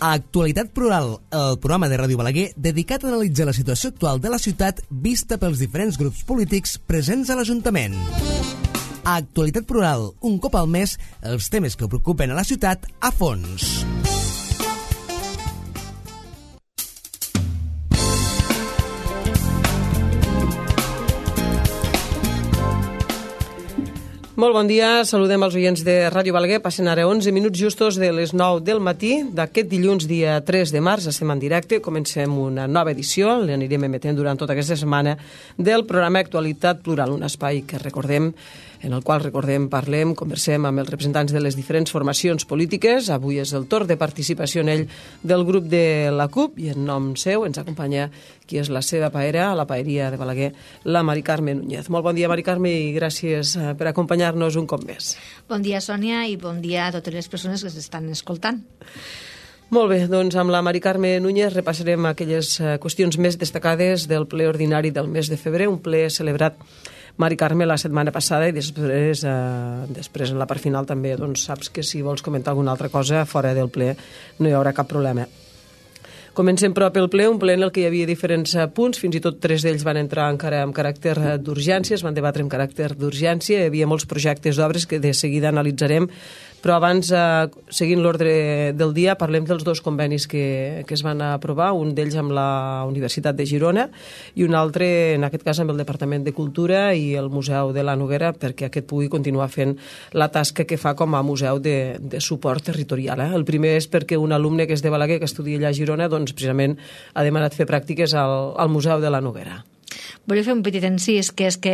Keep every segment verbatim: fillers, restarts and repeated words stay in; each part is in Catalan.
A Actualitat Plural, el programa de Ràdio Balaguer dedicat a analitzar la situació actual de la ciutat vista pels diferents grups polítics presents a l'Ajuntament. A Actualitat Plural, un cop al mes, els temes que preocupen a la ciutat a fons. Molt bon dia, saludem els oients de Ràdio Balaguer. Passen ara onze minuts justos de les nou del matí d'aquest dilluns, dia tres de març. Estem en directe, comencem una nova edició, l'anirem emetent durant tota aquesta setmana, del programa Actualitat Plural, un espai que recordem, en el qual recordem, parlem, conversem amb els representants de les diferents formacions polítiques. Avui és el torn de participació en ell del grup de la CUP i en nom seu ens acompanya qui és la seva paera, a la paeria de Balaguer, la Mari Carme Núñez. Molt bon dia, Mari Carme, i gràcies per acompanyar-nos un cop més. Bon dia, Sònia, i bon dia a totes les persones que s'estan escoltant. Molt bé, doncs amb la Mari Carme Núñez repassarem aquelles qüestions més destacades del ple ordinari del mes de febrer, un ple celebrat, Mari Carme, la setmana passada, i després, eh, després en la part final també, doncs saps que si vols comentar alguna altra cosa fora del ple no hi haurà cap problema. Comencem però pel ple, un ple en el que hi havia diferents punts, fins i tot tres d'ells van entrar encara amb caràcter d'urgència, es van debatre amb caràcter d'urgència, hi havia molts projectes d'obres que de seguida analitzarem, però abans, eh, seguint l'ordre del dia, parlem dels dos convenis que, que es van aprovar, un d'ells amb la Universitat de Girona i un altre, en aquest cas, amb el Departament de Cultura i el Museu de la Noguera, perquè aquest pugui continuar fent la tasca que fa com a museu de, de suport territorial. Eh? El primer és perquè un alumne que és de Balaguer, que estudia allà a Girona, doncs precisament ha demanat fer pràctiques al, al Museu de la Noguera. Volia fer un petit encís, que és que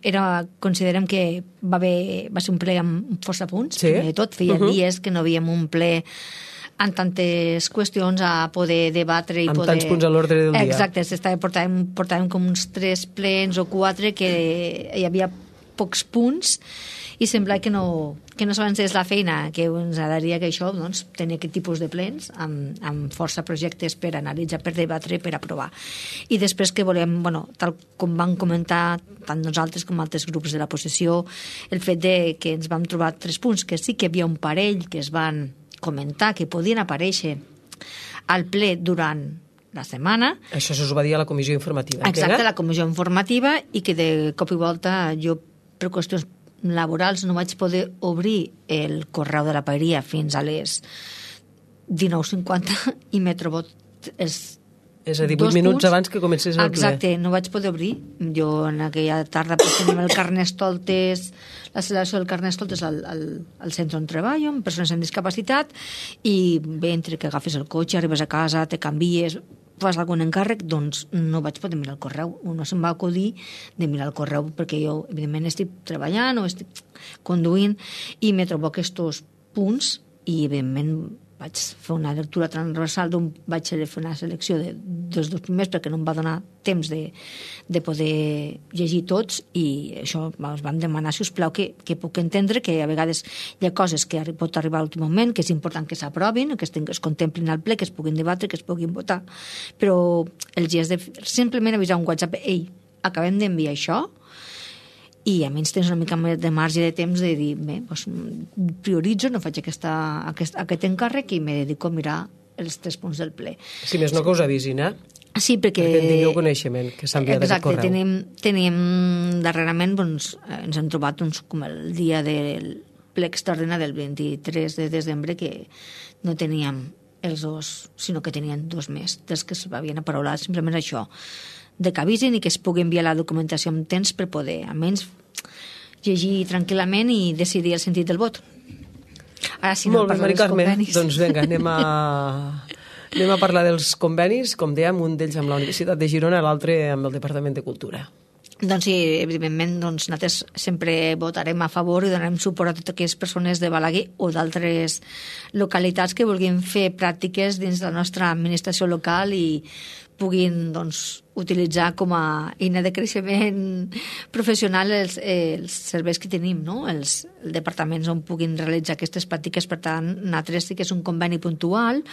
era, considerem que va, haver, va ser un ple amb força punts, sí? de tot, feia uh-huh. dies que no havíem un ple amb tantes qüestions a poder debatre i amb poder... tants punts a l'ordre del dia. Exacte, portàvem, portàvem com uns tres plens o quatre que hi havia pocs punts i sembla que no, que no s'avancés la feina, que ens agradaria que això, doncs, tenir aquest tipus de plens amb, amb força projectes per analitzar, per debatre, per aprovar. I després que volem, bueno, tal com van comentar tant nosaltres com altres grups de la possessió, el fet de que ens vam trobar tres punts, que sí que hi havia un parell que es van comentar, que podien aparèixer al ple durant la setmana. Això s'ho va dir a la comissió informativa. Exacte, la comissió informativa, i que de cop i volta jo, per qüestions laborals, no vaig poder obrir el correu de la paeria fins a les dinou cinquanta i m'he trobat els És a dir, vuit minuts punts abans que comencés el ple. Exacte, no vaig poder obrir. Jo en aquella tarda pues, tenim el Carnestoltes, la celebració del Carnestoltes al, al, al centre on treballo, amb persones amb discapacitat, i bé, entre que agafes el cotxe, arribes a casa, te canvies, fas algun encàrrec, doncs no vaig poder mirar el correu. No se'm va acudir de mirar el correu, perquè jo, evidentment, estic treballant o estic conduint i me trobo aquests punts i, evidentment, vaig fer una lectura transversal d'un, vaig fer una selecció de, dels dos primers perquè no em va donar temps de, de poder llegir tots, i això us vam demanar, si us plau, que, que puc entendre que a vegades hi ha coses que pot arribar a l'últim moment, que és important que s'aprovin, que es, es contemplin al ple, que es puguin debatre, que es puguin votar, però els dies de simplement avisar un WhatsApp, ei, acabem d'enviar això, i a menys tens una mica més de marge de temps de dir, bé, doncs, prioritzo, no faig aquesta, aquest, aquest encàrrec i me dedico a mirar els tres punts del ple. Si més no que us avisin, eh? Sí, perquè... Perquè tingueu coneixement, que s'ha enviat aquest correu. Exacte, tenim, tenim darrerament, doncs, ens hem trobat doncs, com el dia del ple extraordinari del vint-i-tres de desembre, que no teníem els dos, sinó que tenien dos més, dels que s'havien aparaulat, simplement això, de que avisen i que es pugui enviar la documentació amb temps per poder, almenys, llegir tranquil·lament i decidir el sentit del vot. Ara, si no, molt bé, Mari Carme, doncs vinga, anem a, anem a parlar dels convenis, com dèiem, un d'ells amb la Universitat de Girona, l'altre amb el Departament de Cultura. Doncs sí, evidentment, doncs, nosaltres sempre votarem a favor i donarem suport a totes aquelles persones de Balaguer o d'altres localitats que vulguin fer pràctiques dins de la nostra administració local i puguin, doncs, utilitzar com a eina de creixement professional els, els serveis que tenim, no? els, els departaments on puguin realitzar aquestes pràctiques. Per tant, nosaltres sí que és un conveni puntual,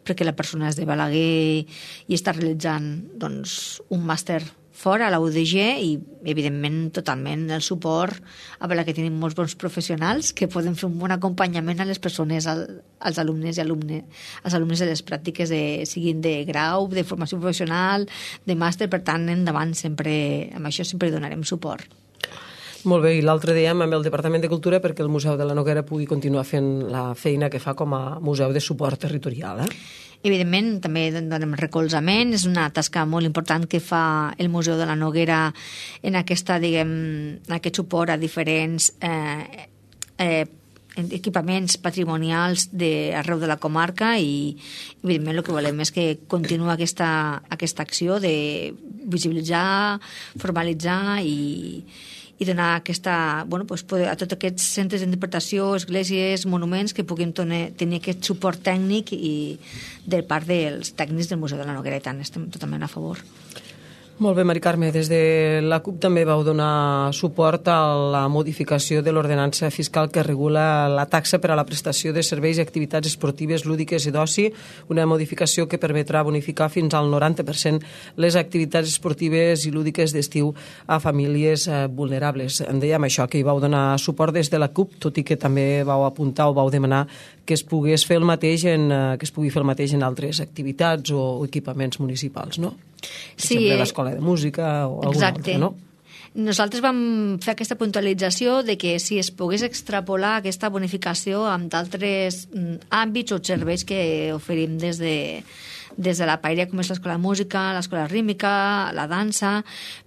perquè la persona és de Balaguer i està realitzant, doncs, un màster fora, a la U D G, i evidentment totalment el suport a la que tenim molts bons professionals que poden fer un bon acompanyament a les persones, al, als alumnes i alumnes, als alumnes de les pràctiques, de, siguin de grau, de formació professional, de màster, per tant, endavant sempre, amb això sempre donarem suport. Molt bé, i l'altre dèiem amb el Departament de Cultura perquè el Museu de la Noguera pugui continuar fent la feina que fa com a museu de suport territorial, eh? Evidentment, també donem recolzament, és una tasca molt important que fa el Museu de la Noguera en aquesta, diguem, en aquest suport a diferents eh, eh, equipaments patrimonials d'arreu de la comarca, i evidentment el que volem és que continuï aquesta, aquesta acció de visibilitzar, formalitzar i i donar aquesta, bueno, pues, a tots aquests centres d'interpretació, esglésies, monuments, que puguin tenir aquest suport tècnic i de part dels tècnics del Museu de la Noguera, i tant, estem totalment a favor. Molt bé, Mari Carme, des de la CUP també vau donar suport a la modificació de l'ordenança fiscal que regula la taxa per a la prestació de serveis i activitats esportives, lúdiques i d'oci, una modificació que permetrà bonificar fins al noranta per cent les activitats esportives i lúdiques d'estiu a famílies vulnerables. En dèiem això, que hi vau donar suport des de la CUP, tot i que també vau apuntar o vau demanar que es pogués fer el mateix en, que es pugui fer el mateix en altres activitats o equipaments municipals, no? Per sí, exemple, l'escola de música o alguna altra, no? Nosaltres vam fer aquesta puntualització de que si es pogués extrapolar aquesta bonificació amb d'altres àmbits o serveis que oferim des de, des de la paella, com és l'escola de música, l'escola rítmica, la dansa,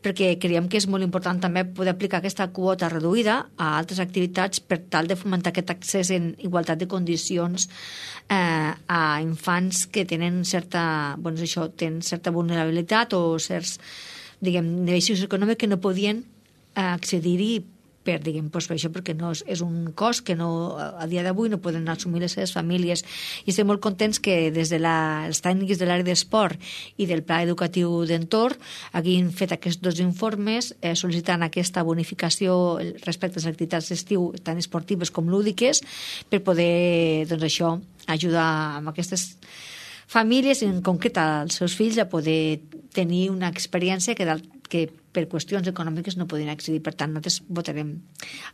perquè creiem que és molt important també poder aplicar aquesta quota reduïda a altres activitats per tal de fomentar aquest accés en igualtat de condicions eh, a infants que tenen certa, doncs això, tenen certa vulnerabilitat o certs, diguem, nivells socioeconòmics que no podien eh, accedir-hi per, diguem, doncs, per això, perquè no és, és un cost que no, a dia d'avui no poden assumir les seves famílies. I estem molt contents que des de la, els tècnics de l'àrea d'esport i del pla educatiu d'entorn hagin fet aquests dos informes eh, sol·licitant aquesta bonificació respecte a les activitats d'estiu tant esportives com lúdiques per poder, doncs això, ajudar amb aquestes famílies, en concret als seus fills, a poder tenir una experiència que, que per qüestions econòmiques no podien accedir. Per tant, nosaltres votarem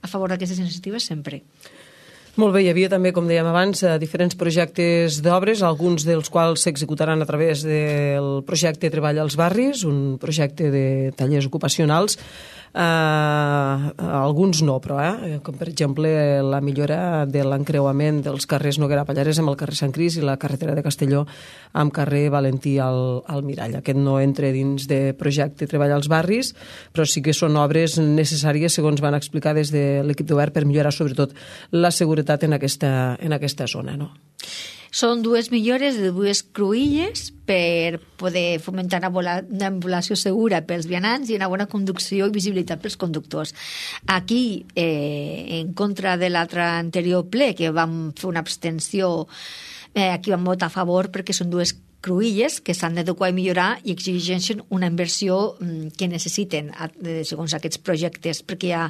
a favor d'aquestes iniciatives sempre. Molt bé, hi havia també, com dèiem abans, diferents projectes d'obres, alguns dels quals s'executaran a través del projecte Treball als Barris, un projecte de tallers ocupacionals. Uh, alguns no, però, eh? Com per exemple la millora de l'encreuament dels carrers Noguera Pallarès amb el carrer Sant Cris i la carretera de Castelló amb carrer Valentí al, al Mirall. Aquest no entra dins de projecte Treball als Barris, però sí que són obres necessàries, segons van explicar des de l'equip de govern, per millorar sobretot la seguretat en aquesta, en aquesta zona, no? Són dues millores de dues cruïlles per poder fomentar una ambulació segura pels vianants i una bona conducció i visibilitat pels conductors. Aquí, eh, en contra de l'altre anterior ple, que vam fer una abstenció, eh, aquí vam votar a favor perquè són dues cruïlles que s'han d'adequar i millorar i exigeixen una inversió que necessiten segons aquests projectes, perquè hi ha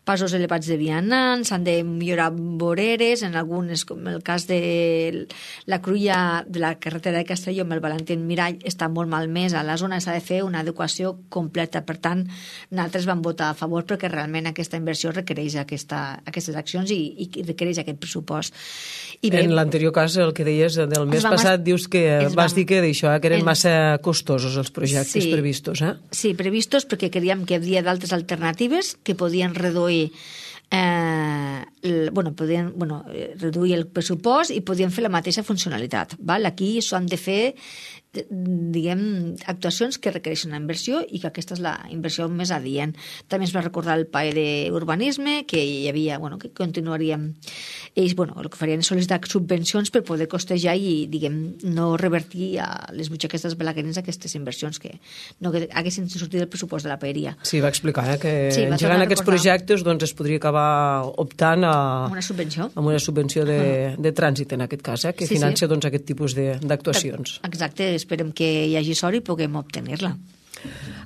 passos elevats de vianants, s'han de millorar voreres, en algunes, com el cas de la cruïlla de la carretera de Castelló amb el Valentí Mirall, està molt malmesa. A la zona s'ha de fer una adequació completa. Per tant, nosaltres vam votar a favor perquè realment aquesta inversió requereix aquesta, aquestes accions i, i requereix aquest pressupost. I bé, en l'anterior cas, el que deies del mes passat, dius que vas dir que d'això, que eren massa costosos els projectes sí, previstos, eh? Sí, previstos perquè creiem que hi havia d'altres alternatives que podien reduir eh, el, bueno, podien, bueno, reduir el pressupost i podien fer la mateixa funcionalitat. Val? Aquí s'han de fer diguem, actuacions que requereixen una inversió i que aquesta és la inversió més adient. També es va recordar el P A E d'urbanisme, que hi havia, bueno, que continuaríem ells, bueno, el que farien és sol·licitar subvencions per poder costejar i, diguem, no revertir a les butxaques dels balaguerins aquestes inversions que no que haguessin sortit del pressupost de la paeria. Sí, va explicar eh, que sí, engegant aquests projectes doncs, es podria acabar optant a una subvenció, amb una subvenció de, de trànsit, en aquest cas, eh, que sí, financia sí. doncs, aquest tipus d'actuacions. Exacte, esperem que hi hagi sort i puguem obtenir-la.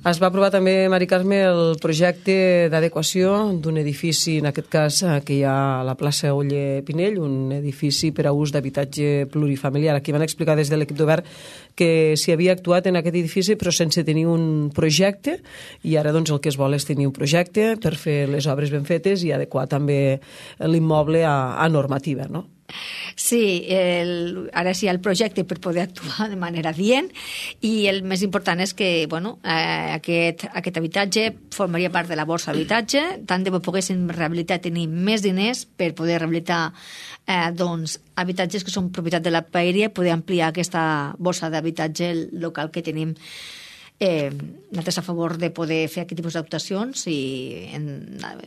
Es va aprovar també, Mari Carme, el projecte d'adequació d'un edifici, en aquest cas que hi ha a la plaça Oller Pinell, un edifici per a ús d'habitatge plurifamiliar. Aquí van explicar des de l'equip de govern que s'hi havia actuat en aquest edifici però sense tenir un projecte, i ara doncs el que es vol és tenir un projecte per fer les obres ben fetes i adequar també l'immoble a, a normativa, no? Sí, el, ara sí hi ha el projecte per poder actuar de manera adient, i el més important és que bueno, eh, aquest, aquest habitatge formaria part de la borsa d'habitatge, tant de bo poguéssim rehabilitar, tenir més diners per poder rehabilitar eh, doncs, habitatges que són propietat de la paeria, poder ampliar aquesta borsa d'habitatge local que tenim. Eh, nosaltres a favor de poder fer aquest tipus d'actuacions i en,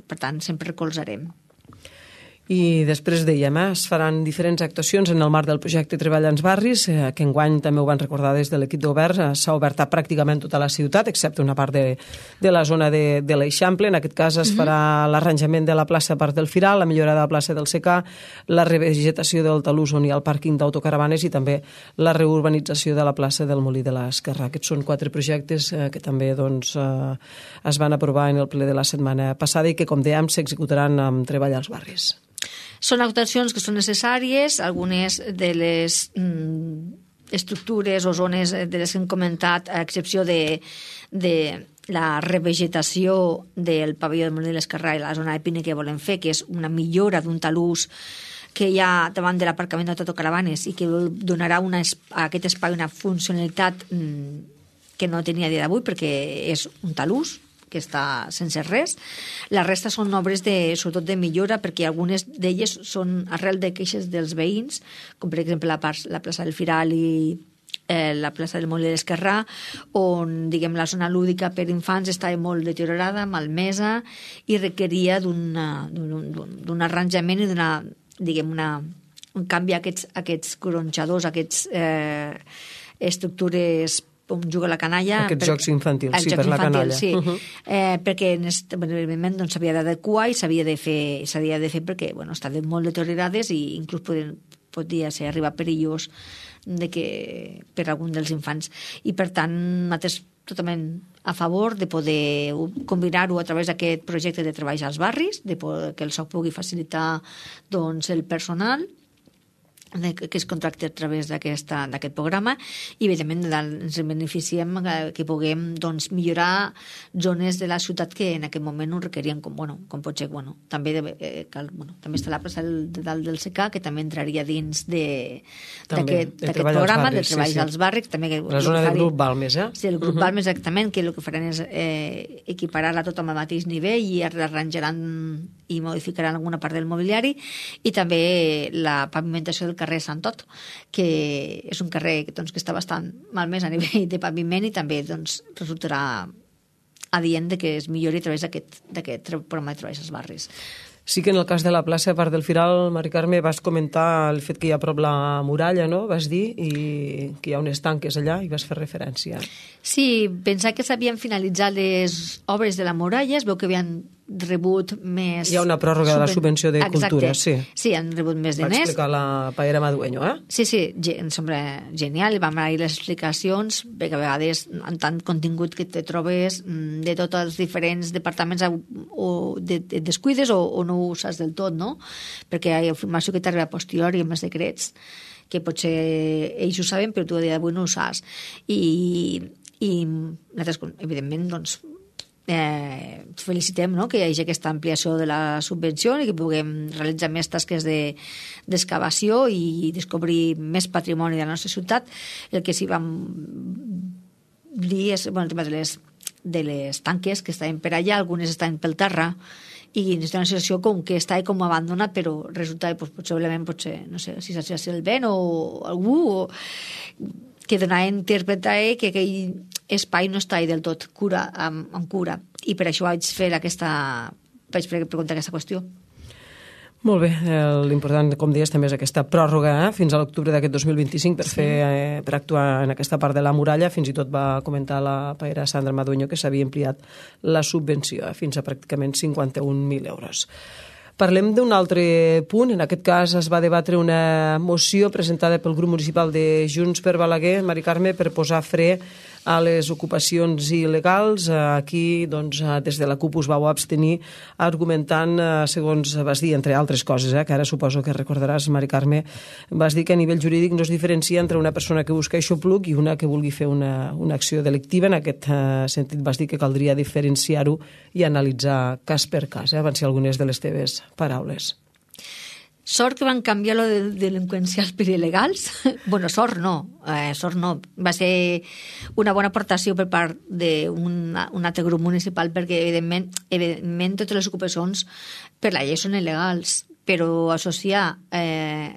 per tant sempre recolzarem. I després dèiem, eh, es faran diferents actuacions en el marc del projecte Treball als Barris, eh, que enguany també ho van recordar des de l'equip de govern, eh, s'ha obert a pràcticament tota la ciutat, excepte una part de, de la zona de, de l'Eixample. En aquest cas es farà l'arranjament de la plaça Parc del Firal, la millora de la plaça del Secà, la revegetació del talús on hi ha el pàrquing d'autocaravanes i també la reurbanització de la plaça del Molí de l'Esquerrà. Aquests són quatre projectes eh, que també doncs, eh, es van aprovar en el ple de la setmana passada i que, com dèiem, s'executaran amb Treball als Barris. Són actuacions que són necessàries, algunes de les mm, estructures o zones de les que hem comentat, a excepció de, de la revegetació del pavelló del Molí de l'Esquerrà i la zona de Pine que volem fer, que és una millora d'un talús que hi ha davant de l'aparcament d'autocaravanes i que donarà una, a aquest espai una funcionalitat mm, que no tenia a dia d'avui perquè és un talús que està sense res. La resta són obres de, sobretot de millora, perquè algunes d'elles són arrel de queixes dels veïns, com per exemple la, part, la plaça del Firal i eh, la plaça del Molí de l'Esquerrà, on diguem, la zona lúdica per infants estava molt deteriorada, malmesa, i requeria d'un arranjament i d'una, diguem, una, un canvi a aquests, aquests gronxadors, a aquests eh, estructures on juga la canalla. Aquests per, jocs infantils, sí, per la infantil, canalla. Sí, uh -huh. eh, perquè evidentment doncs, s'havia d'adequar i s'havia de fer s'havia de fer perquè bueno, estaven molt deteriorades i inclús poden, podia ser arribar perillós de que, per algun dels infants. I per tant, nosaltres totalment a favor de poder combinar-ho a través d'aquest projecte de treballs als barris, de poder, que el S O C pugui facilitar doncs, el personal que es contracta a través d'aquest programa i evidentment ens beneficiem que puguem doncs, millorar zones de la ciutat que en aquest moment ho requerien com, bueno, com pot ser bueno, també, de, eh, cal, bueno, també està la plaça del, de dalt del Secà que també entraria dins d'aquest programa de treballs sí, sí. als barris també, que, la zona del grup Balmes eh? Sí, el grup uh -huh. Balmes exactament, que el que faran és eh, equiparar-la tot amb el mateix nivell i arranjaran i modificaran alguna part del mobiliari i també la pavimentació del carrer Sant Tot, que és un carrer doncs, que està bastant malmès a nivell de paviment i també doncs, resultarà adient de que es millori a través d'aquest programa de treballs als barris. Sí que en el cas de la plaça Parc del Firal, Mari Carme, vas comentar el fet que hi ha a prop la muralla, no? Vas dir, i que hi ha unes tanques allà i vas fer referència. Sí, pensar que s'havien finalitzat les obres de la muralla, es veu que havien rebut més... Hi ha una pròrroga Subven... de la subvenció de Exacte. Cultura, sí. Sí, han rebut més diners. Va explicar la Paera Madueño, eh? Sí, sí, em sembla genial. Vam anar les explicacions, perquè a vegades en tant contingut que te trobes de tots els diferents departaments o de, de descuides o, o no ho saps del tot, no? Perquè hi ha informació que t'arriba a posteriori amb els secrets, que potser ells ho saben, però tu a dia d'avui no ho saps. I, i nosaltres, evidentment, doncs, Eh, felicitem no? que hi hagi aquesta ampliació de la subvenció i que puguem realitzar més tasques d'excavació de, i descobrir més patrimoni de la nostra ciutat. El que sí vam dir és bueno, el tema de les, de les tanques que estaven per allà, algunes estaven pel terra i és una situació com que està com abandonat, però resulta que doncs, possiblement potser, no sé si s'ha el vent o algú o que donava a interpretar que aquell espai no està del tot cura, amb, amb cura. I per això vaig fer aquesta vaig preguntar aquesta qüestió. Molt bé, l'important, com deies, també és aquesta pròrroga eh, fins a l'octubre d'aquest dos mil vint-i-cinc per, sí. fer, eh, per actuar en aquesta part de la muralla. Fins i tot va comentar la paera Sandra Madueño que s'havia ampliat la subvenció eh, fins a pràcticament cinquanta-un mil euros. Parlem d'un altre punt. En aquest cas es va debatre una moció presentada pel grup municipal de Junts per Balaguer, Mari Carme, per posar fre a les ocupacions il·legals. Aquí, doncs, des de la CUP us vau abstenir argumentant, segons vas dir, entre altres coses, eh, que ara suposo que recordaràs, Mari Carme, vas dir que a nivell jurídic no es diferencia entre una persona que busca aixopluc i una que vulgui fer una, una acció delictiva. En aquest uh, sentit vas dir que caldria diferenciar-ho i analitzar cas per cas, eh? Van ser algunes de les teves paraules. Sort que van canviar lo de delinqüencials per il·legals. Bueno, sort no, eh, sort no. Va ser una bona aportació per part d'un un altre grup municipal perquè, evidentment, evidentment, totes les ocupacions per la llei són il·legals, però associar eh,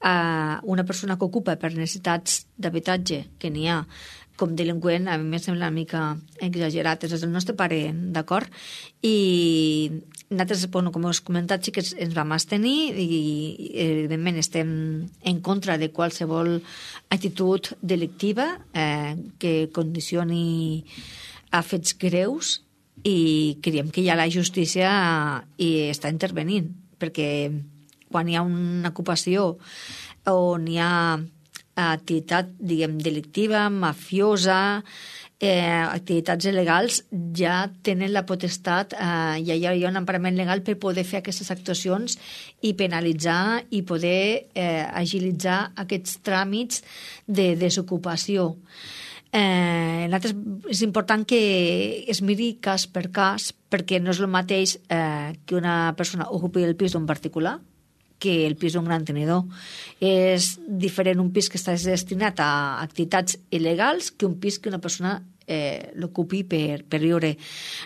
a una persona que ocupa per necessitats d'habitatge, que n'hi ha, com delinqüent, a mi em sembla una mica exagerat. És el nostre pare, d'acord? I nosaltres, bueno, com us he comentat, sí que ens vam abstenir i, evidentment, estem en contra de qualsevol actitud delictiva eh, que condicioni a fets greus, i creiem que ja la justícia hi està intervenint, perquè quan hi ha una ocupació on hi ha activitat, diguem, delictiva, mafiosa, eh, activitats il·legals, ja tenen la potestat, eh, ja hi ha un emparament legal per poder fer aquestes actuacions i penalitzar i poder eh, agilitzar aquests tràmits de desocupació. Eh, és important que es miri cas per cas, perquè no és el mateix eh, que una persona ocupi el pis d'un particular que el pis d'un gran tenidor. És diferent un pis que està destinat a activitats il·legals que un pis que una persona eh, l'ocupi per, per viure.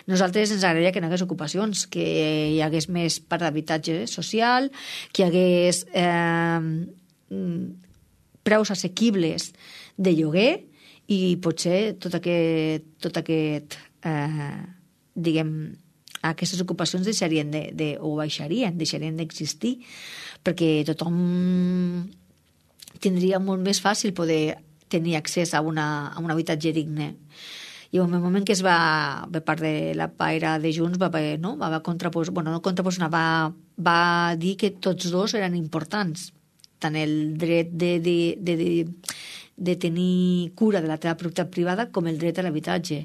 Nosaltres ens agradaria que no hi hagués ocupacions, que hi hagués més part d'habitatge social, que hi hagués eh, preus assequibles de lloguer, i potser tot aquest, tot aquest eh, diguem, aquestes ocupacions deixarien de, de, o baixarien, deixarien d'existir, perquè tothom tindria molt més fàcil poder tenir accés a, una, a un habitatge digne. I en el moment que es va, per part de la paira de Junts, va, no? va, va contraposar, bueno, no contraposar, va, va dir que tots dos eren importants, tant el dret de, de, de, de, de tenir cura de la teva propietat privada com el dret a l'habitatge,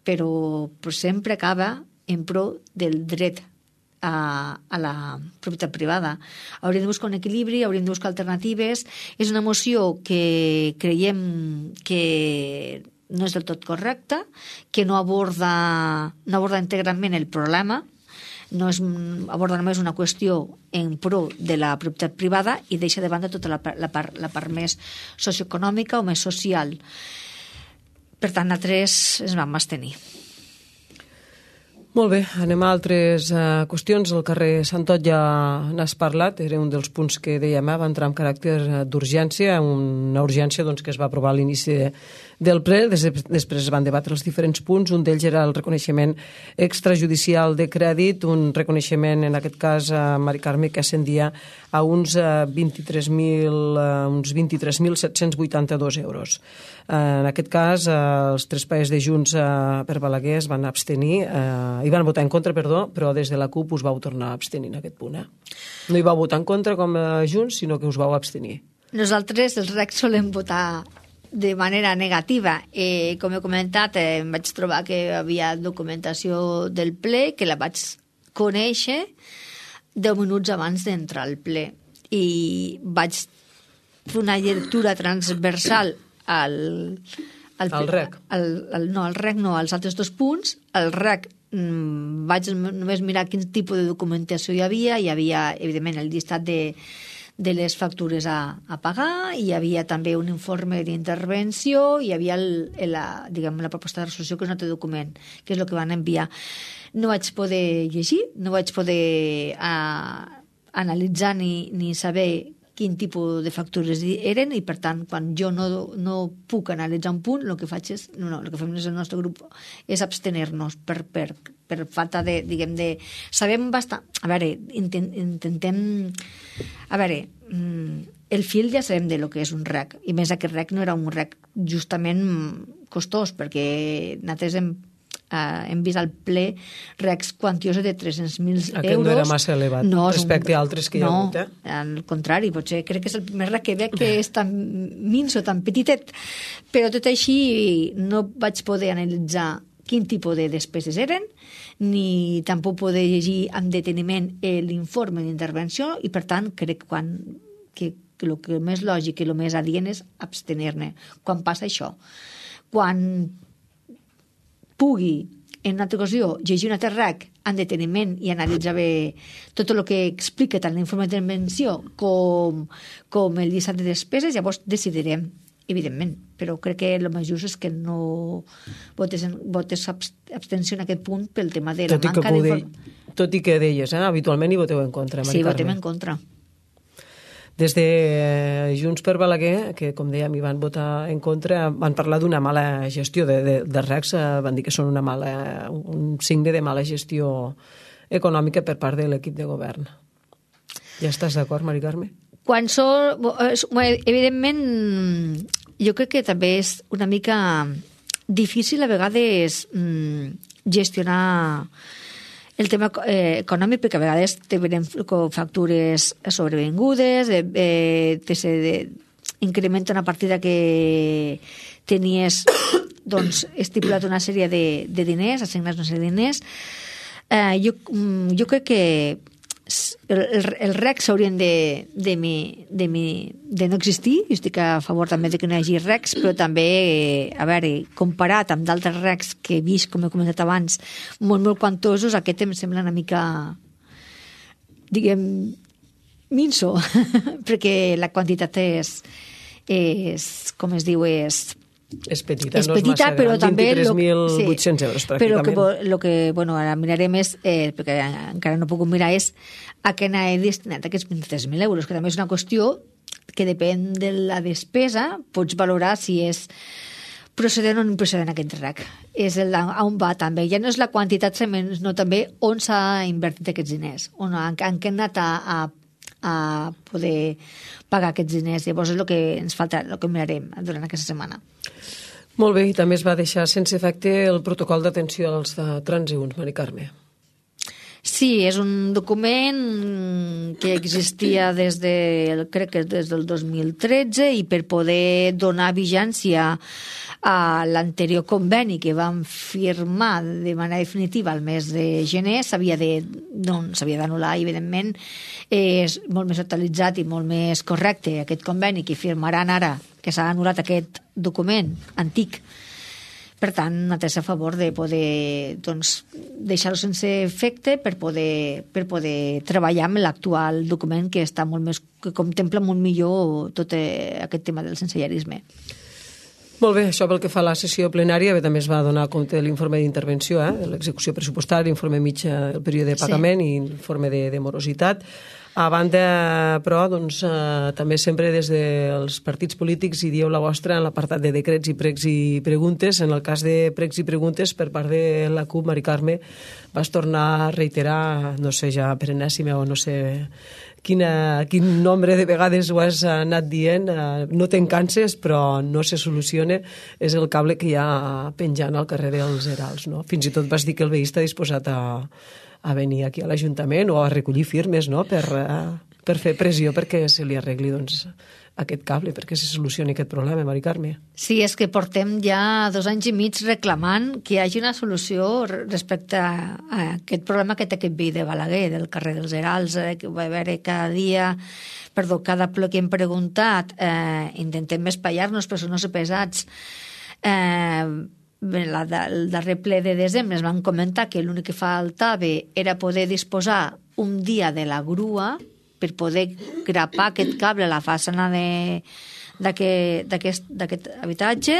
però, però sempre acaba en pro del dret a, a la propietat privada. Hauríem de buscar un equilibri, hauríem de buscar alternatives. És una moció que creiem que no és del tot correcta, que no aborda, no aborda integralment el problema, no és, aborda només una qüestió en pro de la propietat privada i deixa de banda tota la, la, part, la part més socioeconòmica o més social. Per tant, nosaltres ens vam abstenir. Molt bé, anem a altres uh, qüestions. El carrer Santot ja n'has parlat, era un dels punts que dèiem, eh? Va entrar amb caràcter d'urgència, una urgència doncs, que es va aprovar a l'inici de, del ple, des, després es van debatre els diferents punts, un d'ells era el reconeixement extrajudicial de crèdit, un reconeixement, en aquest cas, a Mari Carme, que ascendia a uns uh, vint-i-tres mil uh, uns vint-i-tres mil set-cents vuitanta-dos euros. Uh, en aquest cas, uh, els tres paers de Junts uh, per Balaguer es van abstenir, uh, hi van votar en contra, perdó, però des de la CUP us vau tornar a abstenir en aquest punt. Eh? No hi vau votar en contra com a Junts, sinó que us vau abstenir. Nosaltres, els R E C, solem votar de manera negativa. Eh, com he comentat, eh, em vaig trobar que hi havia documentació del ple, que la vaig conèixer deu minuts abans d'entrar al ple. I vaig fer una lectura transversal al... Al, al R E C. Al, al, no, al R E C no, als altres dos punts. Al R E C mmm, vaig només mirar quin tipus de documentació hi havia. Hi havia, evidentment, el llistat de, de les factures a, a pagar, hi havia també un informe d'intervenció, hi havia el, la, diguem, la proposta de resolució, que és un altre document, que és el que van enviar. No vaig poder llegir, no vaig poder a, analitzar ni, ni saber quin tipus de factures eren, i per tant, quan jo no, no puc analitzar un punt, el que faig és, no, no, el que fem des del nostre grup és abstener-nos per, per, per falta de, diguem, de... Sabem bastant... A veure, intent, intentem... A veure, el fil ja sabem de lo que és un R E C, i més aquest R E C no era un R E C justament costós, perquè nosaltres hem Uh, hem vist al ple recs quantiosos de tres-cents mil euros. Aquest no era massa elevat no, respecte un... a altres que hi ha no, hagut, eh? al contrari, potser crec que és el primer rec que veig que és tan minso, tan petitet, però tot així no vaig poder analitzar quin tipus de despeses eren, ni tampoc poder llegir amb deteniment l'informe d'intervenció, i per tant crec quan, que, que el que més lògic i el més adient és abstenir-ne quan passa això. Quan pugui, en una altra ocasió, llegir un altre rec en deteniment i analitzar bé tot el que explica tant l'informe d'intervenció com, com el llistat de despeses, llavors decidirem, evidentment, però crec que el més just és que no votes, votes abstenció en aquest punt pel tema de la tot manca d'informació. Tot i que deies, eh? Habitualment hi voteu en contra, Mari Sí, Carme. votem en contra. Des de Junts per Balaguer, que com dèiem hi van votar en contra, van parlar d'una mala gestió de, de, de recs, van dir que són una mala, un signe de mala gestió econòmica per part de l'equip de govern. Ja estàs d'acord, Mari Carme? Quan són... Evidentment, jo crec que també és una mica difícil a vegades gestionar el tema eh, econòmic, perquè a vegades te venen factures sobrevingudes, eh, eh, te se de, incrementa una partida que tenies doncs, estipulat una sèrie de, de diners, assignats una sèrie de diners. Eh, jo, jo crec que el, el, el rec s'haurien de, de, mi, de, mi, de no existir. Jo estic a favor també de que no hi hagi recs, però també, a veure, comparat amb d'altres recs que he vist, com he comentat abans, molt, molt quantosos, aquest em sembla una mica, diguem, minso, perquè la quantitat és, és com es diu, és... És petita, és no és petita, massa però gran, també vint-i-tres mil vuit-cents sí, euros però pràcticament. que, lo que, bueno, ara mirarem és, eh, perquè encara no puc mirar, és a què n'ha destinat aquests vint-i-tres mil euros, que també és una qüestió que depèn de la despesa, pots valorar si és procedent o no procedent aquest rec. És el, on va també. Ja no és la quantitat, sinó també on s'ha invertit aquests diners, on, en, en què han anat a, a a poder pagar aquests diners. Llavors és el que ens falta, el que mirarem durant aquesta setmana. Molt bé, i també es va deixar sense efecte el protocol d'atenció als de transeünts, Mari Carme. Sí, és un document que existia des de, crec que des del dos mil tretze, i per poder donar vigència a l'anterior conveni que vam firmar de manera definitiva al mes de gener, s'havia de, no, s'havia d'anul·lar, i evidentment és molt més actualitzat i molt més correcte aquest conveni que firmaran ara, que s'ha anul·lat aquest document antic. Per tant, nosaltres a favor de poder doncs, deixar-ho sense efecte per poder, per poder treballar amb l'actual document que està molt més, que contempla molt millor tot aquest tema del sensellarisme. Molt bé, això pel que fa a la sessió plenària, bé, també es va donar compte de l'informe d'intervenció, eh, de l'execució pressupostària, l'informe mitjà del període de pagament sí. i informe de, de morositat. A banda, però, doncs, eh, també sempre des dels partits polítics hi dieu la vostra en l'apartat de decrets i pregs i preguntes. En el cas de pregs i preguntes, per part de la CUP, Mari Carme, vas tornar a reiterar, no sé, ja per enèsima o no sé quina, quin nombre de vegades ho has anat dient, eh, no te'n canses, però no se soluciona, és el cable que hi ha penjant al carrer dels Herals, no? Fins i tot vas dir que el veí està disposat a a venir aquí a l'Ajuntament o a recollir firmes, no?, per, uh, per fer pressió perquè se li arregli doncs, aquest cable, perquè se solucioni aquest problema, Mari Carme. Sí, és que portem ja dos anys i mig reclamant que hi hagi una solució respecte a aquest problema que té aquest veí de Balaguer, del carrer dels Herals, eh, que va haver cada dia, perdó, cada ple que hem preguntat, eh, intentem espaiar-nos, però són no ser pesats. Eh, La, el darrer ple de desembre es van comentar que l'únic que faltava era poder disposar un dia de la grua per poder grapar aquest cable a la façana d'aquest habitatge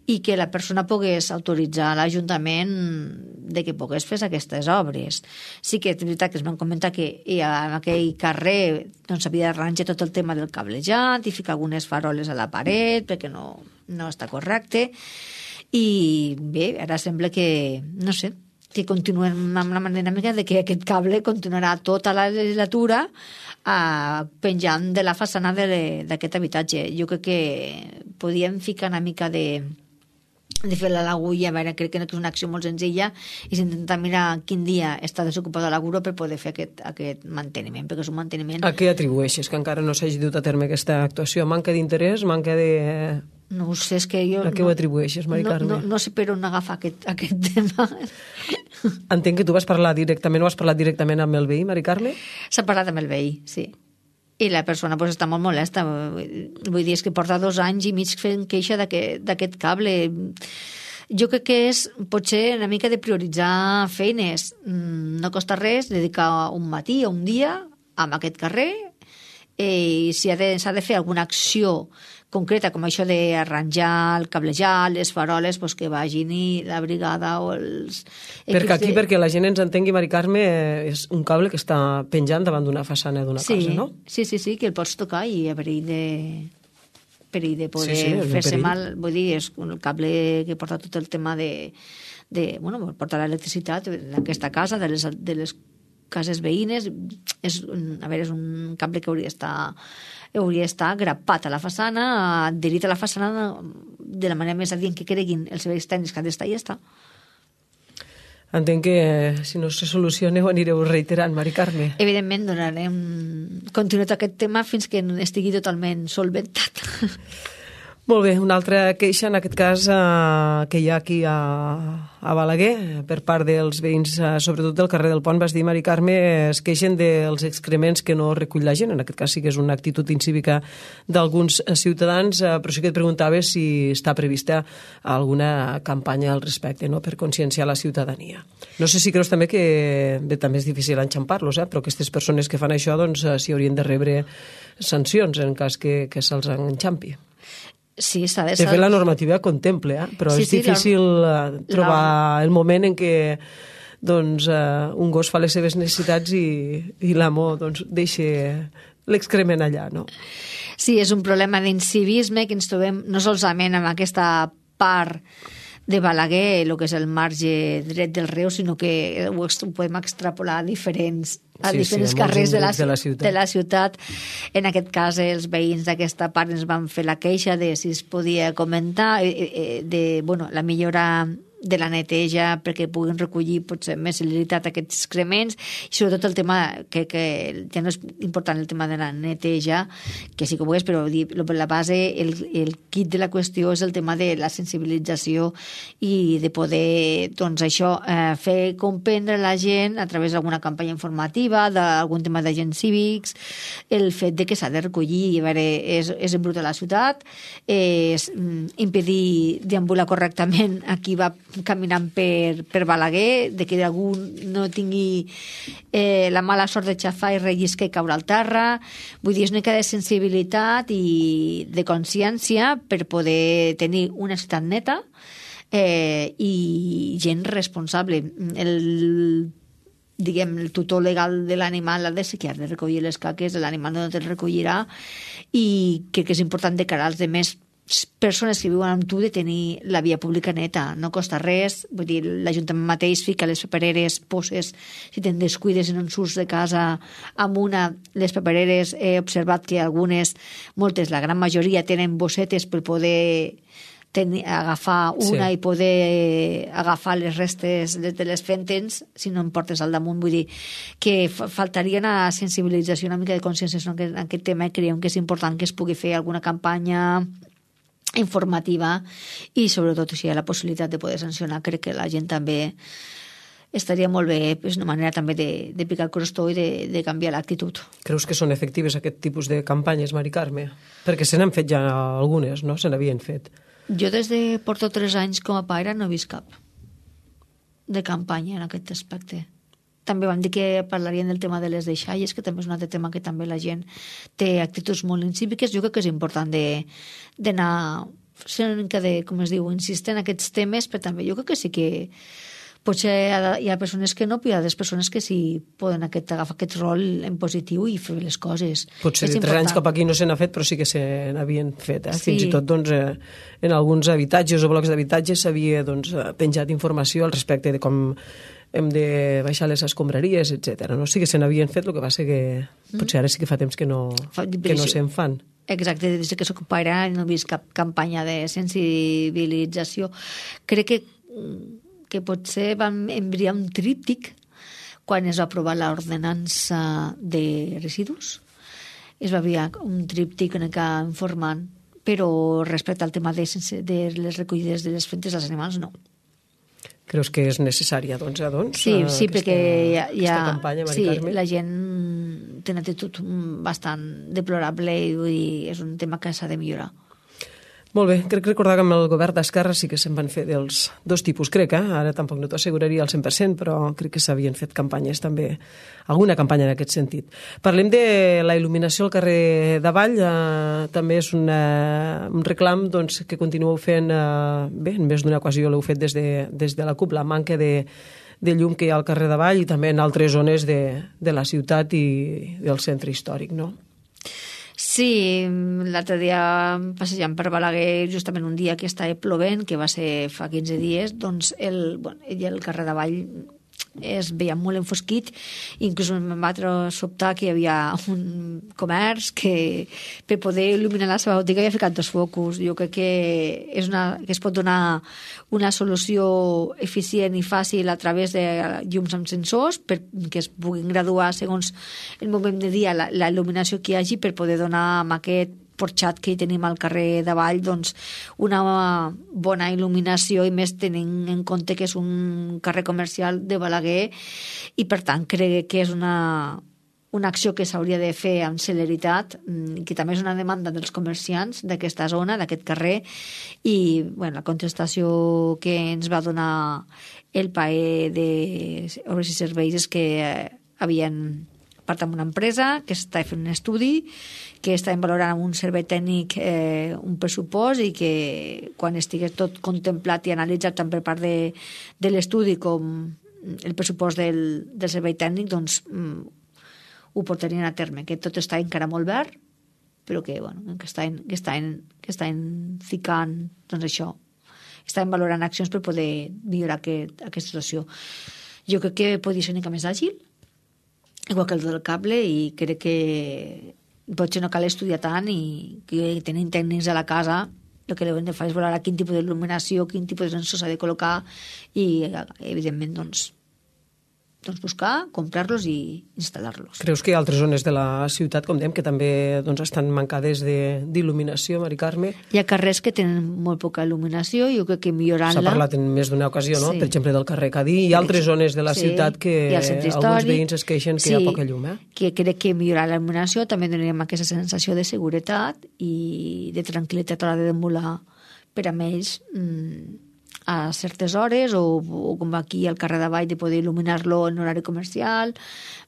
i que la persona pogués autoritzar a l'Ajuntament de que pogués fer aquestes obres. Sí que és veritat que es van comentar que en aquell carrer doncs, havia d'arranjar tot el tema del cablejat i ficar algunes faroles a la paret perquè no, no està correcte. I bé, ara sembla que, no sé, que continuem amb la dinàmica de que aquest cable continuarà tota la legislatura eh, penjant de la façana d'aquest habitatge. Jo crec que podíem ficar una mica de de fer l'agulla, a veure, crec que no és una acció molt senzilla, i s'intenta mirar quin dia està desocupada la grua per poder fer aquest, aquest manteniment, perquè és un manteniment... A què atribueixes que encara no s'hagi dut a terme aquesta actuació? Manca d'interès? Manca de... No ho sé, és que jo... A què ho atribueixes, Mari Carme? No, no, no sé per on agafar aquest, aquest tema. Entenc que tu vas parlar directament, o has parlat directament amb el veí, Mari Carme? S'ha parlat amb el veí, sí. I la persona pues, està molt molesta. Vull dir, és que porta dos anys i mig fent queixa d'aquest cable. Jo crec que és potser una mica de prioritzar feines. No costa res dedicar un matí o un dia a aquest carrer, i si s'ha de, de fer alguna acció concreta, com això d'arranjar, el cablejar, les faroles, pues que vagin i la brigada o els... Perquè aquí, de... perquè la gent ens entengui, Mari Carme, és un cable que està penjant davant d'una façana d'una sí, casa, no? Sí, sí, sí, que el pots tocar i a perill de, perill de poder sí, sí, fer-se mal. Vull dir, és el cable que porta tot el tema de... de bueno, porta l'electricitat d'aquesta casa, de les, de les cases veïnes. És, a veure, és un cable que hauria d'estar hauria d'estar grapat a la façana, adherit a la façana de la manera més adient que creguin els serveis tècnics que han d'estar i ja està. Entenc que si no se soluciona ho anireu reiterant, Mari Carme. Evidentment donarem continuïtat a aquest tema fins que estigui totalment solventat. Molt bé, una altra queixa, en aquest cas, eh, que hi ha aquí a, a Balaguer, per part dels veïns, eh, sobretot del carrer del Pont, vas dir, Mari Carme, es queixen dels excrements que no recull la gent. En aquest cas sí que és una actitud incívica d'alguns ciutadans, eh, però sí que et preguntava si està prevista alguna campanya al respecte, no?, per conscienciar la ciutadania. No sé si creus també que bé, també és difícil enxampar-los, eh, però aquestes persones que fan això doncs, s'hi haurien de rebre sancions en cas que, que se'ls enxampi. Sí, s'ha de... De fet, la normativa contempla, eh? Però sí, és sí, difícil la... trobar la... el moment en què doncs, uh, un gos fa les seves necessitats i, i l'amo doncs, deixa l'excrement allà, no? Sí, és un problema d'incivisme que ens trobem no solament amb aquesta part de Balaguer, el que és el marge dret del riu, sinó que ho podem extrapolar a diferents, a sí, diferents sí, carrers de la, de, la de la ciutat. En aquest cas, els veïns d'aquesta part ens van fer la queixa de si es podia comentar de bueno, la millora de la neteja perquè puguin recollir potser més celeritat aquests excrements, i sobretot el tema que, que ja no és important el tema de la neteja, que sí que ho és, però la base, el, el kit de la qüestió és el tema de la sensibilització i de poder, doncs això, eh, fer comprendre a la gent a través d'alguna campanya informativa, d'algun tema d'agents cívics, el fet de que s'ha de recollir, a veure, és, és embrut a la ciutat, és impedir deambular correctament a qui va caminant per, per Balaguer, de que algú no tingui eh, la mala sort de xafar i relliscar i caure al terra. Vull dir, és una mica de sensibilitat i de consciència per poder tenir una ciutat neta eh, i gent responsable. El diguem, el tutor legal de l'animal ha de ser que ha de recollir les caques, l'animal no te'l recollirà, i crec que és important de cara als demés persones que viuen amb tu de tenir la via pública neta, no costa res. Vull dir, l'Ajuntament mateix fica les papereres, poses, si te'n descuides en un surts de casa amb una, les papereres he observat que algunes, moltes, la gran majoria tenen bossetes per poder tenir, agafar una sí. i poder agafar les restes de, de les fentes si no em portes al damunt. Vull dir que faltaria una sensibilització, una mica de consciència en aquest, en aquest tema, i creiem que és important que es pugui fer alguna campanya informativa i sobretot si hi ha la possibilitat de poder sancionar. Crec que la gent també estaria molt bé, és una manera també de, de picar el crostó i de, de canviar l'actitud. Creus que són efectives aquest tipus de campanyes, Mari Carme? Perquè se n'han fet ja algunes, no? Se n'havien fet. Jo des de porto tres anys com a pare no he vist cap de campanya en aquest aspecte. També vam dir que parlarien del tema de les deixalles, que també és un altre tema que també la gent té actituds molt incíviques. Jo crec que és important d'anar sent una mica de, com es diu, insistir en aquests temes, però també jo crec que sí que potser hi ha persones que no, però hi ha des persones que sí poden aquest, agafar aquest rol en positiu i fer les coses. Potser de tres anys cap aquí no se n'ha fet, però sí que se n'havien fet. Eh? Sí. Fins i tot doncs, eh, en alguns habitatges o blocs d'habitatges s'havia doncs, penjat informació al respecte de com hem de baixar les escombraries, etcètera. No? Sí que se n'havien fet, el que va ser que potser ara sí que fa temps que no, que no se'n fan. Exacte, des que s'ocuparà no he vist cap campanya de sensibilització. Crec que, que potser vam enviar un tríptic quan es va aprovar l'ordenança de residus. Es va enviar un tríptic en què informant, però respecte al tema de, de les recollides de les fentes dels animals, no. Creus que és necessària, doncs, ja, doncs? Sí, sí, aquesta, perquè hi ha, hi ha, aquesta campanya, Mari sí, Carme? la gent té una actitud bastant deplorable i vull dir, és un tema que s'ha de millorar. Molt bé, crec recordar que amb el govern d'Esquerra sí que se'n van fer dels dos tipus, crec, eh? Ara tampoc no t'ho asseguraria al cent per cent, però crec que s'havien fet campanyes també, alguna campanya en aquest sentit. Parlem de la il·luminació al carrer d'Avall, eh, també és una, un reclam doncs, que continueu fent, eh, bé, en més d'una ocasió l'heu fet des de, des de la C U P, la manca de, de llum que hi ha al carrer d'Avall i també en altres zones de, de la ciutat i del centre històric, no? Sí, l'altre dia passejant per Balaguer, justament un dia que estava plovent, que va ser fa quinze dies, doncs el, bueno, el carrer d'Avall es veia molt enfosquit, inclús em va sobtar que hi havia un comerç que per poder il·luminar la seva botiga havia ficat dos focus. Jo crec que, és una, que es pot donar una solució eficient i fàcil a través de llums amb sensors perquè es puguin graduar segons el moment de dia la, la il·luminació que hi hagi per poder donar amb aquest porxat que hi tenim al carrer d'Avall doncs una bona il·luminació i més tenint en compte que és un carrer comercial de Balaguer i per tant crec que és una, una acció que s'hauria de fer amb celeritat i que també és una demanda dels comerciants d'aquesta zona, d'aquest carrer i bueno, la contestació que ens va donar el P A E d'Obres i Serveis és que havien part amb una empresa que està fent un estudi, que està valorant amb un servei tècnic eh, un pressupost i que quan estigui tot contemplat i analitzat tant per part de, de l'estudi com el pressupost del, del servei tècnic, doncs mm, ho portarien a terme, que tot està encara molt verd, però que, bueno, que estan, que estan, que estan ficant, doncs això, estan valorant accions per poder millorar aquest, aquesta situació. Jo crec que podria ser una mica més àgil, igual que el del cable, i crec que potser no cal estudiar tant i que tenint tècnics a la casa el que hem de fer és valorar quin tipus d'il·luminació, quin tipus de sensor s'ha de col·locar i, evidentment, doncs, doncs buscar, comprar-los i instal·lar-los. Creus que hi ha altres zones de la ciutat, com dèiem, que també doncs, estan mancades d'il·luminació, Mari Carme? Hi ha carrers que tenen molt poca il·luminació i jo crec que millorant-la... S'ha parlat en més d'una ocasió, no? Sí. Per exemple, del carrer Cadí. Hi ha altres zones de la sí. ciutat que alguns veïns es queixen que sí. hi ha poca llum, eh? Que crec que millorar la il·luminació també donaríem aquesta sensació de seguretat i de tranquil·litat a l'hora de deambular per a ells mmm, a certes hores o, o com aquí al carrer d'Avall de poder il·luminar-lo en horari comercial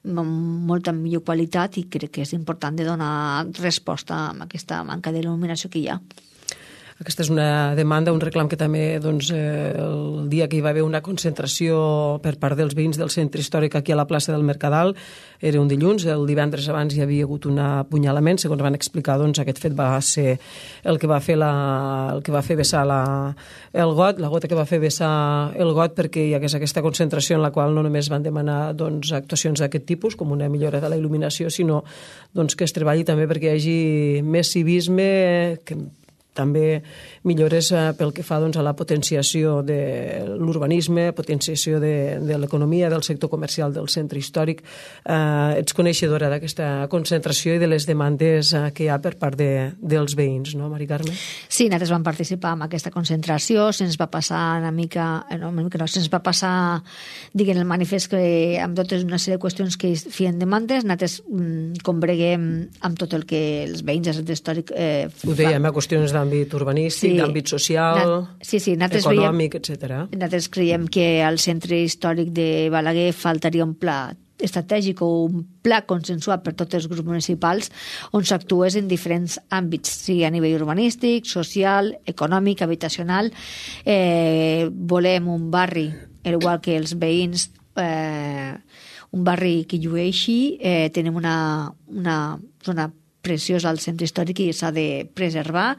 amb molta millor qualitat i crec que és important de donar resposta a aquesta manca d'il·luminació que hi ha. Aquesta és una demanda, un reclam que també doncs, eh, el dia que hi va haver una concentració per part dels veïns del centre històric aquí a la plaça del Mercadal era un dilluns, el divendres abans hi havia hagut un apunyalament, segons van explicar doncs, aquest fet va ser el que va fer, la, el que va fer vessar la, el got, la gota que va fer vessar el got perquè hi hagués aquesta concentració en la qual no només van demanar doncs, actuacions d'aquest tipus com una millora de la il·luminació, sinó doncs, que es treballi també perquè hi hagi més civisme, que també millores pel que fa doncs, a la potenciació de l'urbanisme, potenciació de, de l'economia, del sector comercial del centre històric. Eh, ets coneixedora d'aquesta concentració i de les demandes eh, que hi ha per part de, dels veïns, no, Mari Carme? Sí, nosaltres vam participar en aquesta concentració, se'ns va passar una mica, no, una mica no, se'ns va passar, diguem, el manifest que amb totes una sèrie de qüestions que feien demandes, nosaltres mm, combreguem amb tot el que els veïns del centre històric eh, ho dèiem, a qüestions d'àmbit urbanístic, sí, d'àmbit social, sí, sí, econòmic, etcètera. Nosaltres creiem que al centre històric de Balaguer faltaria un pla estratègic o un pla consensuat per tots els grups municipals on s'actués en diferents àmbits, sigui a nivell urbanístic, social, econòmic, habitacional. Eh, volem un barri, igual que els veïns, eh, un barri que llueixi, eh, tenim una, una zona preciós al centre històric i s'ha de preservar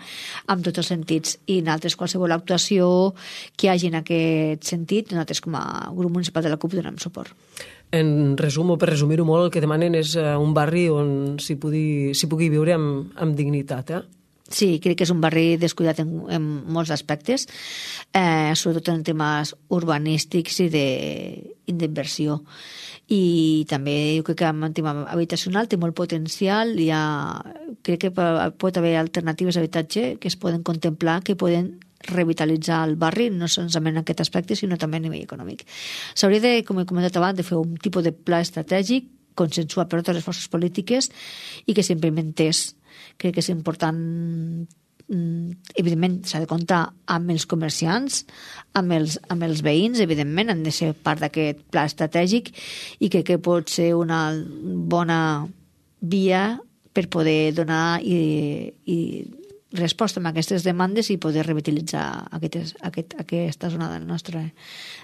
amb tots els sentits i en altres qualsevol actuació que hi hagi en aquest sentit nosaltres com a grup municipal de la C U P donem suport. en resum o per resumir-ho molt, el que demanen és un barri on s'hi pugui, s'hi pugui viure amb, amb dignitat, eh? Sí, crec que és un barri descuidat en, en molts aspectes, eh, sobretot en temes urbanístics i d'inversió. I també jo crec que en tema habitacional té molt potencial, hi ha, crec que pot haver alternatives d'habitatge que es poden contemplar, que poden revitalitzar el barri, no solament en aquest aspecte, sinó també a nivell econòmic. S'hauria de, com he comentat abans, de fer un tipus de pla estratègic consensuat per totes les forces polítiques i que s'implementés. Crec que és important, evidentment s'ha de comptar amb els comerciants, amb els, amb els veïns, evidentment han de ser part d'aquest pla estratègic i crec que pot ser una bona via per poder donar i, i resposta a aquestes demandes i poder revitalitzar aquestes, aquest, aquesta zona del nostre,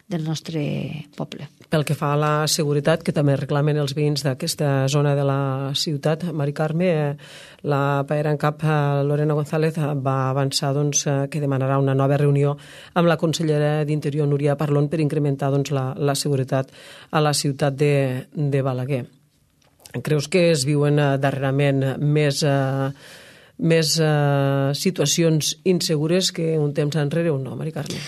del nostre poble. Pel que fa a la seguretat, que també reclamen els veïns d'aquesta zona de la ciutat, Mari Carme, la paera en cap Lorena González va avançar doncs, que demanarà una nova reunió amb la consellera d'Interior, Núria Parlon, per incrementar doncs, la, la seguretat a la ciutat de, de Balaguer. Creus que es viuen darrerament més... Eh, més eh, situacions insegures que un temps enrere o no, Mari Carme?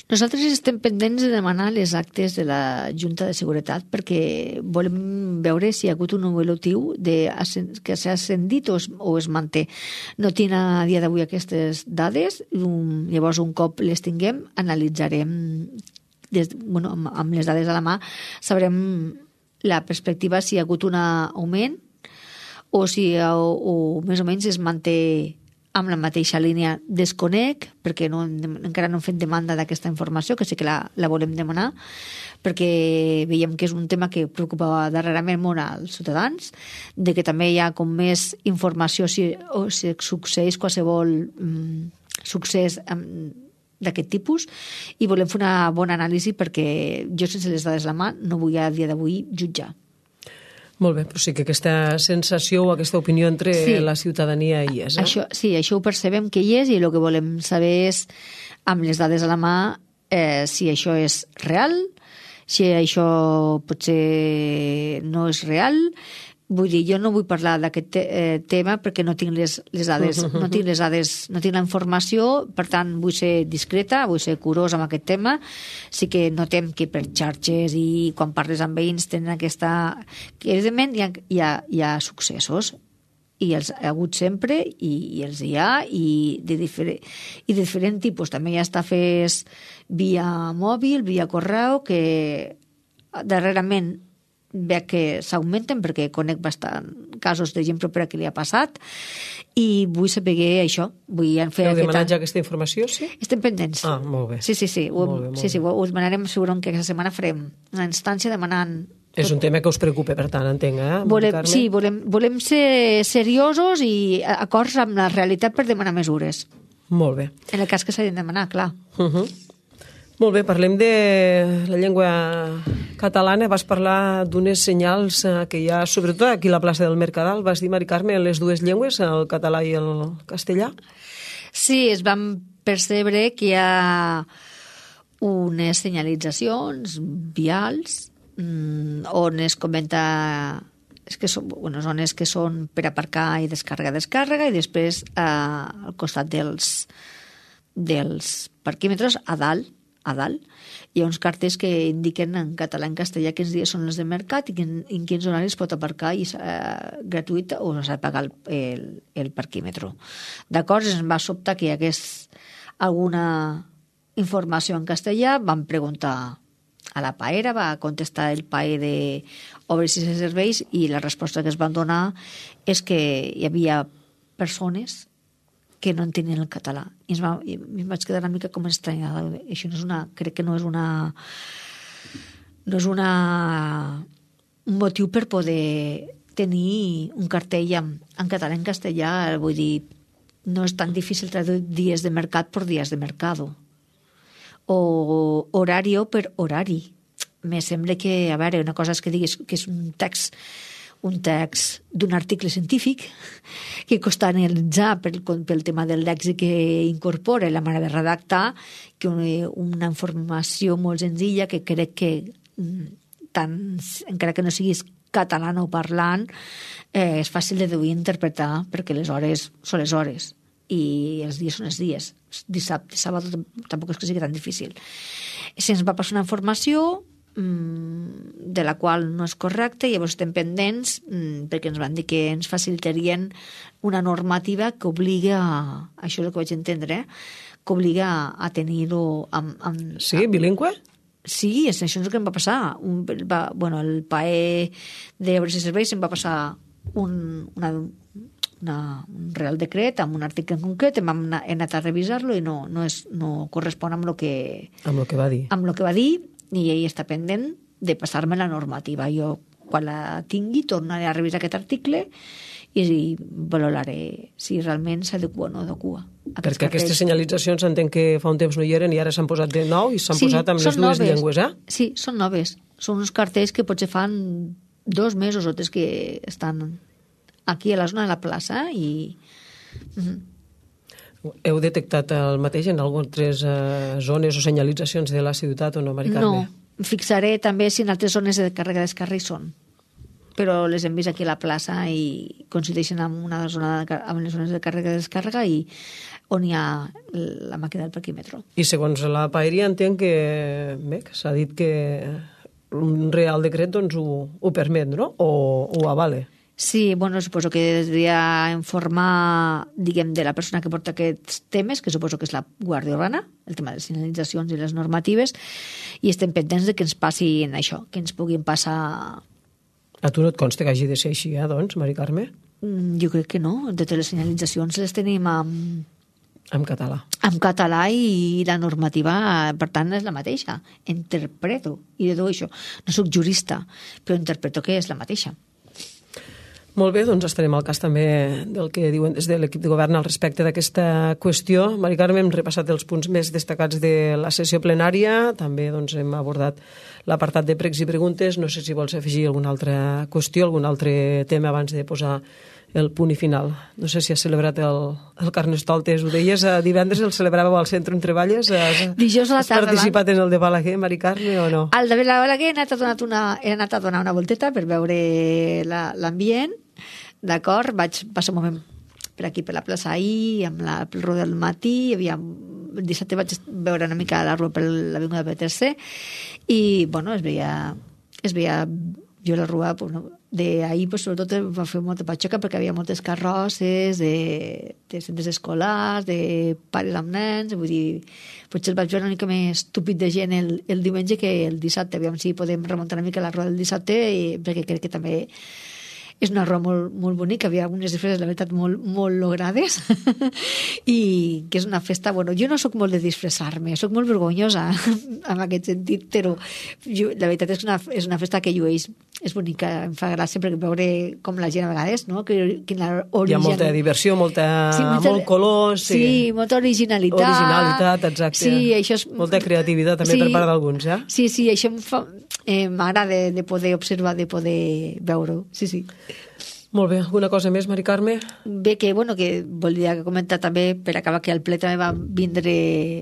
Nosaltres estem pendents de demanar les actes de la Junta de Seguretat perquè volem veure si hi ha hagut un evolutiu de, que s'ha ascendit o es, o es manté. No tinc a dia d'avui aquestes dades, um, llavors un cop les tinguem analitzarem des, bueno, amb, amb les dades a la mà sabrem la perspectiva si hi ha hagut un augment o si o, o més o menys es manté amb la mateixa línia. Desconec, perquè no, encara no hem fet demanda d'aquesta informació, que sí que la, la volem demanar, perquè veiem que és un tema que preocupa darrerament molt als ciutadans, de que també hi ha com més informació si, o si succeeix qualsevol mm, succés amb, d'aquest tipus, i volem fer una bona anàlisi perquè jo sense les dades a la mà no vull a dia d'avui jutjar. Molt bé, però sí que aquesta sensació o aquesta opinió entre sí. la ciutadania hi és. Eh? Això, sí, això ho percebem que hi és i el que volem saber és, amb les dades a la mà, eh, si això és real, si això potser no és real. Vull dir, jo no vull parlar d'aquest te eh, tema perquè no tinc les, les dades, uh -huh. no tinc les dades, no tinc la informació, per tant vull ser discreta, vull ser curosa amb aquest tema. Sí que notem que per xarxes i quan parles amb veïns tenen aquesta... que evidentment hi ha, hi ha, hi ha successos i els ha hagut sempre i, i els hi ha i de, diferent, i de diferent tipus. També hi ha estafes via mòbil, via correu, que darrerament veig que s'augmenten perquè conec bastant casos de gent propera que li ha passat i vull saber això. Vull fer Heu demanat ja aquesta informació, sí? Estem pendents. Ah, molt bé. Sí, sí, sí. Ho, molt bé, molt sí, sí, ho, ho demanarem segurament que aquesta setmana farem una instància demanant... És un tema que us preocupa, per tant, entenc, eh? Volem, sí, volem, volem ser seriosos i acords amb la realitat per demanar mesures. Molt bé. En el cas que s'hagin de demanar, clar. Uh -huh. Molt bé, parlem de la llengua catalana. Vas parlar d'unes senyals que hi ha, sobretot aquí a la plaça del Mercadal. Vas dir, Mari Carme, les dues llengües, el català i el castellà? Sí, es van percebre que hi ha unes senyalitzacions vials mmm, on es comenta... És que són, bueno, zones que són per aparcar i descàrrega-descàrrega i després eh, al costat dels, dels parquímetres a dalt a dalt. Hi ha uns cartells que indiquen en català i en castellà quins dies són els de mercat i en, en quins horaris pot aparcar i, eh, gratuït o s'ha de pagar el, el, el parquímetre. D'acord, ens va sobtar que hi hagués alguna informació en castellà, vam preguntar a la paera, va contestar el paer de obres i serveis i la resposta que es van donar és que hi havia persones que no entenien el català. I ens va, i em vaig quedar una mica com estranyada. Això no és una... Crec que no és una... No és una... un motiu per poder tenir un cartell en, en català i en castellà. Vull dir, no és tan difícil traduir dies de mercat per dies de mercado. O horario per horari. Me sembla que, a veure, una cosa és que diguis que és un text un text d'un article científic que costa analitzar pel, pel tema del lèxic que incorpora la manera de redactar, que una, una informació molt senzilla que crec que tant, encara que no siguis catalanoparlant, eh, és fàcil de deduir i interpretar, perquè les hores són les hores i els dies són els dies. Dissabte, sàbado tampoc és que sigui tan difícil. Si ens va passar una informació mmm, de la qual no és correcta, llavors estem pendents mmm, perquè ens van dir que ens facilitarien una normativa que obliga, això és el que vaig entendre, eh? que obliga a tenir-ho amb, amb... Sí, bilingüe? Sí, és, això és el que em va passar. Un, va, bueno, el P A E d'Obres i Serveis em va passar un, una, una, un real decret amb un article en concret, hem anat, he anat a revisar-lo i no, no, és, no correspon amb el que, amb el que va dir. Amb el que va dir, i ell està pendent de passar-me la normativa. Jo, quan la tingui, tornaré a revisar aquest article i valoraré si realment s'adequa o no adequa. Perquè aquestes senyalitzacions entenc que fa un temps no hi eren i ara s'han posat de nou i s'han sí, posat amb les dues noves. llengües, eh? Sí, són noves. Són uns cartells que potser fan dos mesos o tres que estan aquí a la zona de la plaça i... Mm-hmm. Heu detectat el mateix en algunes eh, zones o senyalitzacions de la ciutat o no, Mari Carme? No, fixaré també si en altres zones de càrrega i descàrrega hi són, però les hem vist aquí a la plaça i coincideixen amb una zona de, amb les zones de càrrega i descàrrega i on hi ha la màquina del parquímetro. I segons la paeria entenc que, bé, que s'ha dit que un real decret doncs, ho, ho permet, no? O ho avale. Sí, bueno, suposo que devia informar, diguem, de la persona que porta aquests temes, que suposo que és la Guàrdia Urbana, el tema de les senyalitzacions i les normatives, i estem pendents de que ens passin això, que ens puguin passar... A tu no et consta que hagi de ser així, eh, doncs, Mari Carme? Mm, jo crec que no. Totes les senyalitzacions les tenim amb... En català. En català i la normativa, per tant, és la mateixa. Interpreto i deduo això. No soc jurista, però interpreto que és la mateixa. Molt bé, doncs estarem al cas també del que diuen des de l'equip de govern al respecte d'aquesta qüestió. Mari Carme, hem repassat els punts més destacats de la sessió plenària, també doncs, hem abordat l'apartat de pregs i preguntes. No sé si vols afegir alguna altra qüestió, algun altre tema abans de posar el punt i final. No sé si has celebrat el, el Carnestoltes, ho deies, divendres el celebràveu al centre on treballes? Has, Dijous a la tarda. Has participat en el de Balaguer, Mari Carme, o no? Al de Balaguer he anat a donar una, he anat a donar una volteta per veure l'ambient, d'acord? Vaig passar un moment per aquí, per la plaça ahir, amb la, pel Rodó del matí, hi havia, el dissabte vaig veure una mica la rua per l'Avinguda P T C i, bueno, es veia, es veia jo la rua, bueno, d'ahir, pues, sobretot va fer molta patxoca perquè hi havia moltes carrosses de, de centres escolars, de pares amb nens, vull dir, potser el vaig veure una mica més estúpid de gent el, el diumenge que el dissabte, aviam si podem remuntar una mica la rua del dissabte, i, perquè crec que també és una rua molt, molt bonica, havia algunes disfresses, la veritat, molt, molt logrades i que és una festa, bueno, jo no sóc molt de disfressar-me, sóc molt vergonyosa en aquest sentit, però jo, la veritat és una, és una festa que llueix, és bonica, em fa gràcia perquè veure com la gent a vegades, no? Que, que la original... Hi ha molta diversió, molta, sí, molta, molt color, sí. Sí, molta originalitat. Originalitat, exacte. Sí, això és... Molta creativitat també, sí, per part d'alguns, eh? Sí, sí, això em fa... Eh, m'agrada de, de poder observar, de poder veure-ho, sí, sí. Molt bé, alguna cosa més, Mari Carme? Bé, que, bueno, que volia comentar també, per acabar, que al ple també van vindre...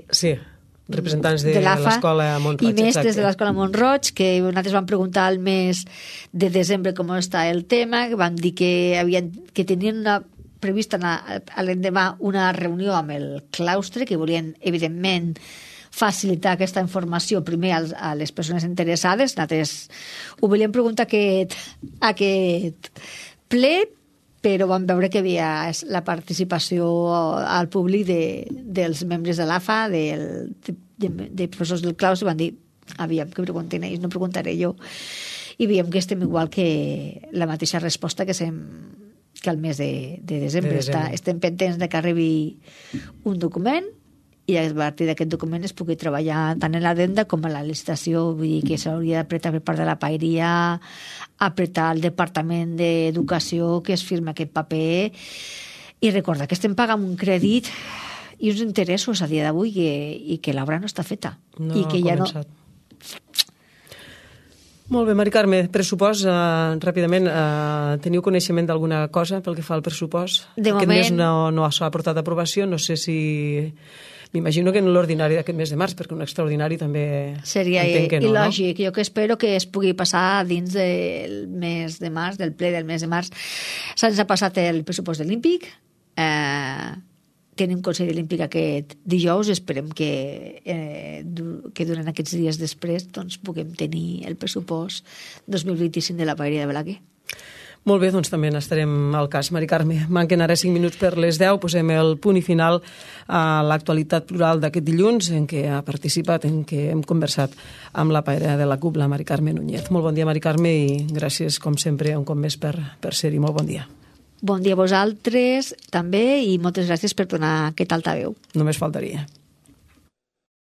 Sí, representants de, de l'escola Mont-roig. I mestres exacte. de l'escola Mont-roig, que nosaltres van preguntar al mes de desembre com està el tema, que van dir que, havien, que tenien una prevista a l'endemà una reunió amb el claustre, que volien, evidentment, facilitar aquesta informació primer als, a les persones interessades. Nosaltres ho volíem preguntar aquest, aquest ple, però vam veure que hi havia la participació al públic de, dels membres de l'A F A, del, de, de, de professors del claustre, van dir, aviam, que pregunten ells, no preguntaré jo. I veiem que estem igual que la mateixa resposta que, sem, que al mes de, de desembre. De desembre. Està, estem pendents de que arribi un document i a partir d'aquest document es pugui treballar tant en l'adenda com en la licitació, vull dir que s'hauria d'apretar per part de la paeria, apretar el Departament d'Educació que es firma aquest paper i recordar que estem pagant un crèdit i uns interessos a dia d'avui que, i que l'obra no està feta. No i que ha ja començat. No... Molt bé, Mari Carme, pressupost, eh, ràpidament, eh, teniu coneixement d'alguna cosa pel que fa al pressupost? De Aquest moment... mes no, no s'ha portat a aprovació, no sé si... m'imagino que en l'ordinari d'aquest mes de març, perquè un extraordinari també seria entenc que no, il·lògic. No? Jo que espero que es pugui passar dins del mes de març, del ple del mes de març. Se'ns ha passat el pressupost olímpic, eh, tenim Consell Olímpic aquest dijous, esperem que, eh, que durant aquests dies després doncs, puguem tenir el pressupost dos mil vint-i-cinc de la Paeria de Balaguer. Molt bé, doncs també n'estarem al cas. Mari Carme, manquen ara cinc minuts per les deu, posem el punt i final a l'actualitat plural d'aquest dilluns en què ha participat, en què hem conversat amb la paera de la C U P, la Mari Carme Núñez. Molt bon dia, Mari Carme, i gràcies, com sempre, un cop més per, per ser-hi. Molt bon dia. Bon dia a vosaltres, també, i moltes gràcies per donar aquest altaveu. Només faltaria.